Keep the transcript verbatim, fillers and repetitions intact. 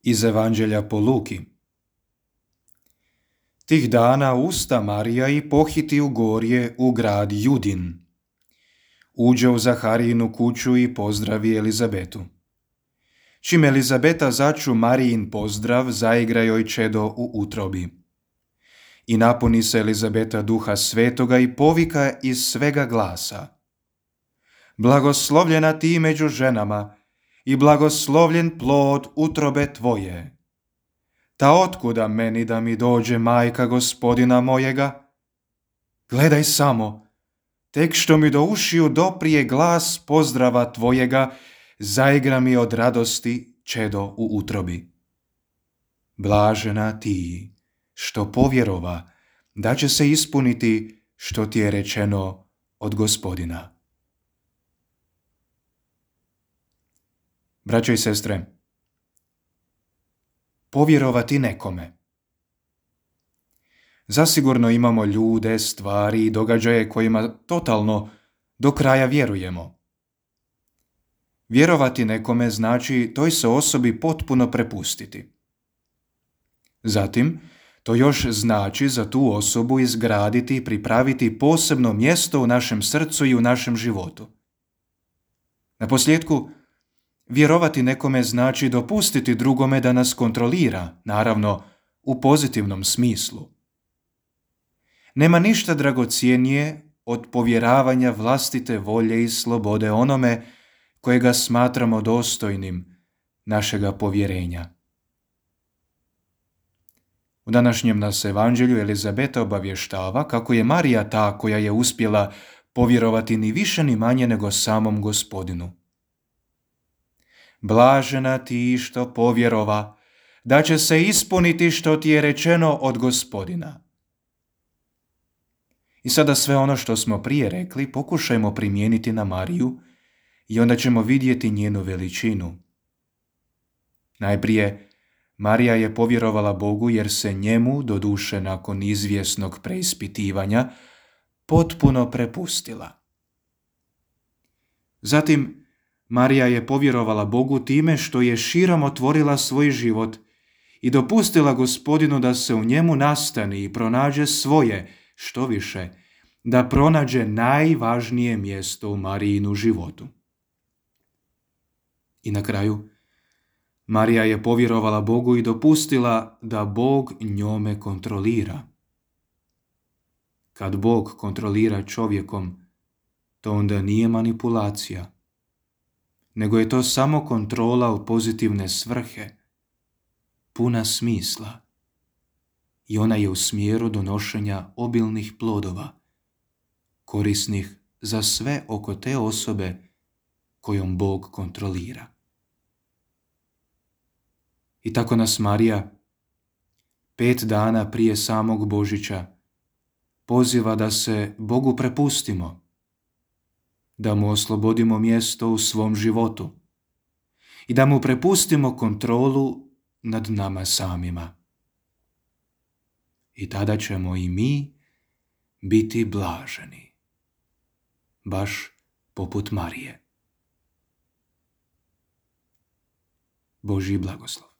Iz Evanđelja po Luki. Tih dana usta Marija i pohiti u gorje u grad Judin. Uđe u Zaharijinu kuću i pozdravi Elizabetu. Čim Elizabeta začu Marijin pozdrav, zaigra joj čedo u utrobi. I napuni se Elizabeta duha svetoga i povika iz svega glasa: Blagoslovljena ti među ženama i blagoslovljen plod utrobe tvoje. Ta otkuda meni da mi dođe majka Gospodina mojega? Gledaj samo, tek što mi do ušiju doprije glas pozdrava tvojega, zaigra mi od radosti čedo u utrobi. Blažena ti, što povjerova, da će se ispuniti što ti je rečeno od Gospodina. Braćo i sestre, povjerovati nekome. Zasigurno imamo ljude, stvari i događaje kojima totalno do kraja vjerujemo. Vjerovati nekome znači toj se osobi potpuno prepustiti. Zatim, to još znači za tu osobu izgraditi i pripraviti posebno mjesto u našem srcu i u našem životu. Naposljetku, vjerovati nekome znači dopustiti drugome da nas kontrolira, naravno u pozitivnom smislu. Nema ništa dragocjenije od povjeravanja vlastite volje i slobode onome kojega smatramo dostojnim našega povjerenja. U današnjem nas evanđelju Elizabeta obavještava kako je Marija ta koja je uspjela povjerovati ni više ni manje nego samom Gospodinu. Blažena ti što povjerova, da će se ispuniti što ti je rečeno od Gospodina. I sada sve ono što smo prije rekli pokušajmo primijeniti na Mariju i onda ćemo vidjeti njenu veličinu. Najprije, Marija je povjerovala Bogu jer se njemu, doduše nakon izvjesnog preispitivanja, potpuno prepustila. Zatim, Marija je povjerovala Bogu time što je širom otvorila svoj život i dopustila Gospodinu da se u njemu nastani i pronađe svoje, što više, da pronađe najvažnije mjesto u Marijinu životu. I na kraju, Marija je povjerovala Bogu i dopustila da Bog njome kontrolira. Kad Bog kontrolira čovjekom, to onda nije manipulacija, nego je to samo kontrola u pozitivne svrhe, puna smisla, i ona je u smjeru donošenja obilnih plodova, korisnih za sve oko te osobe kojom Bog kontrolira. I tako nas Marija, pet dana prije samog Božića, poziva da se Bogu prepustimo, da mu oslobodimo mjesto u svom životu i da mu prepustimo kontrolu nad nama samima. I tada ćemo i mi biti blaženi, baš poput Marije. Božji blagoslov.